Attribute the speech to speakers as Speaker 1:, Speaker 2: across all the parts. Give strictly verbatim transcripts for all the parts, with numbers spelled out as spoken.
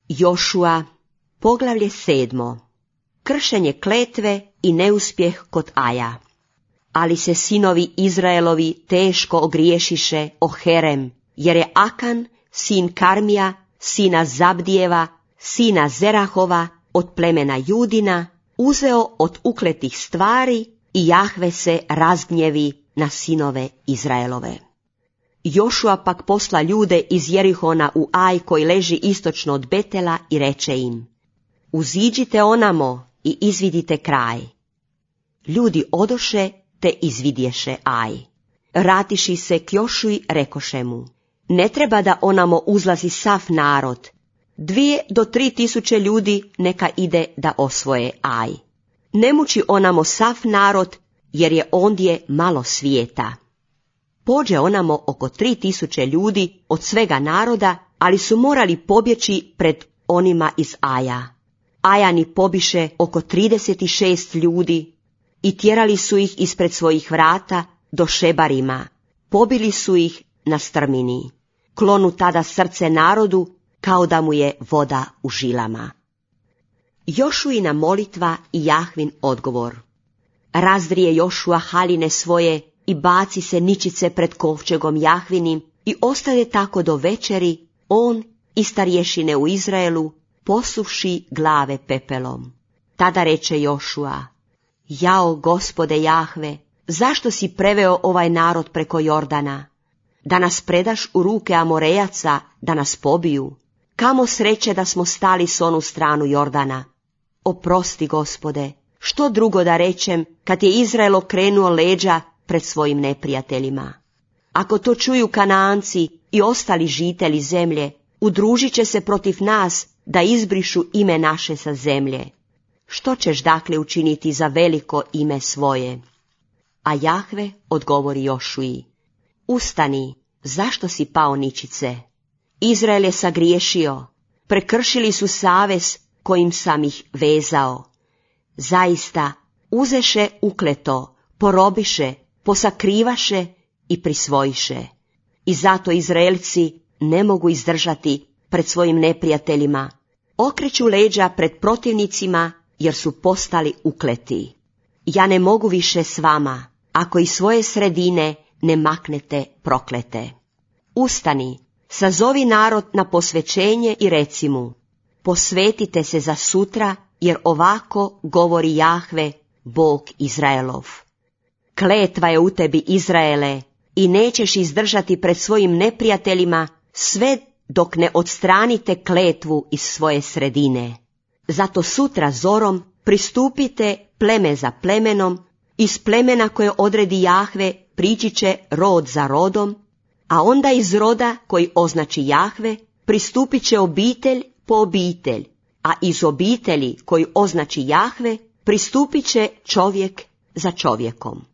Speaker 1: Jošua, poglavlje sedmo. Kršenje kletve i neuspjeh kod Aja. Ali se sinovi Izraelovi teško ogriješiše o Herem, jer je Akan, sin Karmija, sina Zabdijeva, sina Zerahova, od plemena Judina, uzeo od ukletih stvari i Jahve se razgnjevi na sinove Izraelove. Jošua pak posla ljude iz Jerihona u Aj koji leži istočno od Betela i reče im: uziđite onamo i izvidite kraj. Ljudi odoše te izvidješe Aj. Ratiši se k Jošui rekoše mu: ne treba da onamo uzlazi sav narod, dvije do tri tisuće ljudi neka ide da osvoje Aj. Ne muči onamo sav narod, jer je ondje malo svijeta. Pođe onamo oko tri tisuće ljudi od svega naroda, ali su morali pobjeći pred onima iz Aja. Ajani pobiše oko trideset šest ljudi i tjerali su ih ispred svojih vrata do Šebarima. Pobili su ih na strmini. Klonu tada srce narodu kao da mu je voda u žilama. Jošuina molitva i Jahvin odgovor. Razdrije Jošua haljine svoje i baci se ničice pred kovčegom Jahvinim i ostade tako do večeri, on i starješine u Izraelu, posuvši glave pepelom. Tada reče Jošua: jao, Gospode Jahve, zašto si preveo ovaj narod preko Jordana? Da nas predaš u ruke Amorejaca, da nas pobiju? Kamo sreće da smo stali s onu stranu Jordana. Oprosti, Gospode, što drugo da rečem kad je Izrael okrenuo leđa pred svojim neprijateljima? Ako to čuju Kanaanci i ostali žitelji zemlje, udružit će se protiv nas da izbrišu ime naše sa zemlje. Što ćeš dakle učiniti za veliko ime svoje? A Jahve odgovori Jošui: ustani, zašto si pao ničice? Izrael je sagriješio, prekršili su savez kojim sam ih vezao. Zaista, uzeše ukleto, porobiše, posakrivaše i prisvojiše. I zato Izraelci ne mogu izdržati pred svojim neprijateljima. Okreću leđa pred protivnicima jer su postali ukleti. Ja ne mogu više s vama, ako iz svoje sredine ne maknete proklete. Ustani, sazovi narod na posvećenje i reci mu: posvetite se za sutra, jer ovako govori Jahve, Bog Izraelov. Kletva je u tebi, Izraele, i nećeš izdržati pred svojim neprijateljima sve dok ne odstranite kletvu iz svoje sredine. Zato sutra zorom pristupite pleme za plemenom, iz plemena koje odredi Jahve prići će rod za rodom, a onda iz roda koji označi Jahve pristupit će obitelj po obitelj, a iz obitelji koji označi Jahve pristupit će čovjek za čovjekom.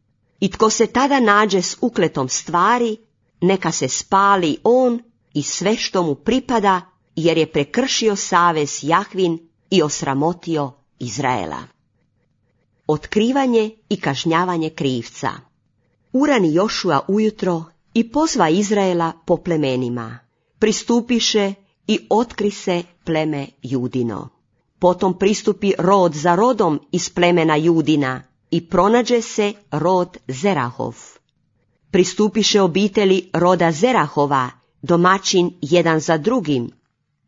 Speaker 1: I tko se tada nađe s ukletom stvari, neka se spali on i sve što mu pripada, jer je prekršio savez Jahvin i osramotio Izraela. Otkrivanje i kažnjavanje krivca. Urani Jošua ujutro i pozva Izraela po plemenima. Pristupiše i otkri se pleme Judino. Potom pristupi rod za rodom iz plemena Judina i pronađe se rod Zerahov. Pristupiše obitelji roda Zerahova, domaćin jedan za drugim,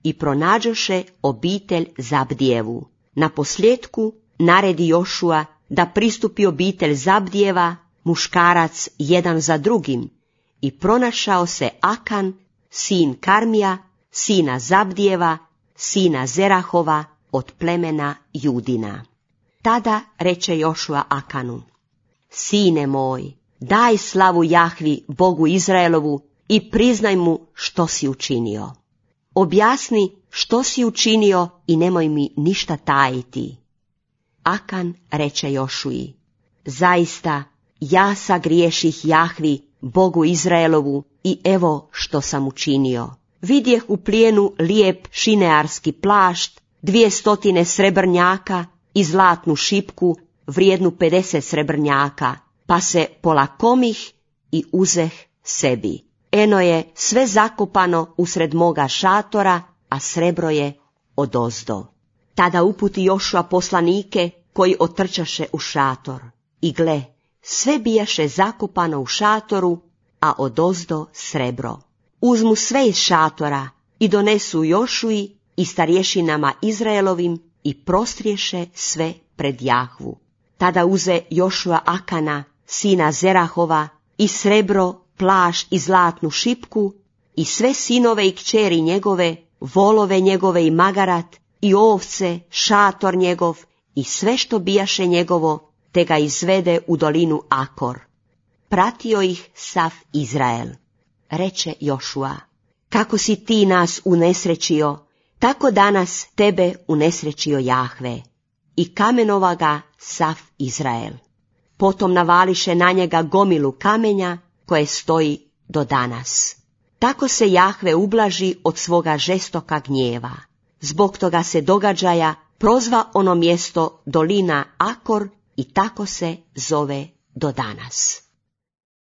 Speaker 1: i pronađoše obitelj Zabdijevu. Na posljetku naredi Jošua da pristupi obitelj Zabdijeva, muškarac jedan za drugim, i pronašao se Akan, sin Karmija, sina Zabdijeva, sina Zerahova, od plemena Judina. Tada reče Jošua Akanu: sine moj, daj slavu Jahvi, Bogu Izraelovu, i priznaj mu što si učinio. Objasni što si učinio i nemoj mi ništa tajiti. Akan reče Jošui: zaista, ja sagriješih Jahvi, Bogu Izraelovu, i evo što sam učinio. Vidjeh u plijenu lijep šinearski plašt, dvije stotine srebrnjaka i zlatnu šipku vrijednu pedeset srebrnjaka, pa se polakomih i uzeh sebi. Eno je sve zakopano usred moga šatora, a srebro je odozdo. Tada uputi Jošua poslanike koji otrčaše u šator. I gle, sve bijaše zakopano u šatoru, a odozdo srebro. Uzmu sve iz šatora i donesu Jošui i starješinama Izraelovim i prostriješe sve pred Jahvu. Tada uze Jošua Akana, sina Zerahova, i srebro, plašt i zlatnu šipku, i sve sinove i kćeri njegove, volove njegove i magarat, i ovce, šator njegov, i sve što bijaše njegovo, te ga izvede u dolinu Akor. Pratio ih sav Izrael. Reče Jošua, kako si ti nas unesrećio, tako danas tebe unesrećio Jahve. I kamenova ga sav Izrael. Potom navališe na njega gomilu kamenja koje stoji do danas. Tako se Jahve ublaži od svoga žestoka gnjeva. Zbog toga se događaja prozva ono mjesto dolina Akor i tako se zove do danas.